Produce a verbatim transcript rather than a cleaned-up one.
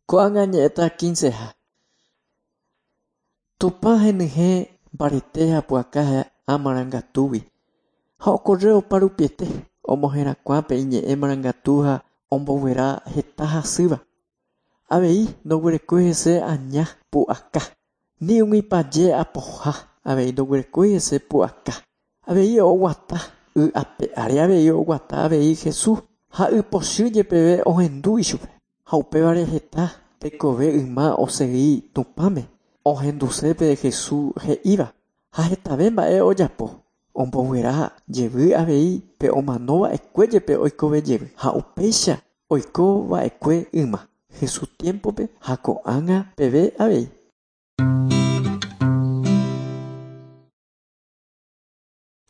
Ko'ág̃a ñe'ẽta quinceha. Tupã henyhẽ mbarete ha pu'aka amarangatúgui ha okorre oparupiete omoherakuã pe iñe'ẽ marangatu ha omboguera heta hasýva. Avei ndoguerekói hese aña pu'aka. Ni umi paje apoha avei ndoguerekói hese pu'aka. Avei oguata y ape ári avei oguata avei Jesús ha ypochy jepeve ohendu ichupe. Ha upévare heta tekove yma osegi Tupãme ohendusépe Jesús he'íva ha hetave mba'e ojapo omboguera jevy avei pe omanova'ekue jepe oikove jevy ha upéicha oikova'ekue yma Jesús tiempope ha ko'ág̃a peve avei.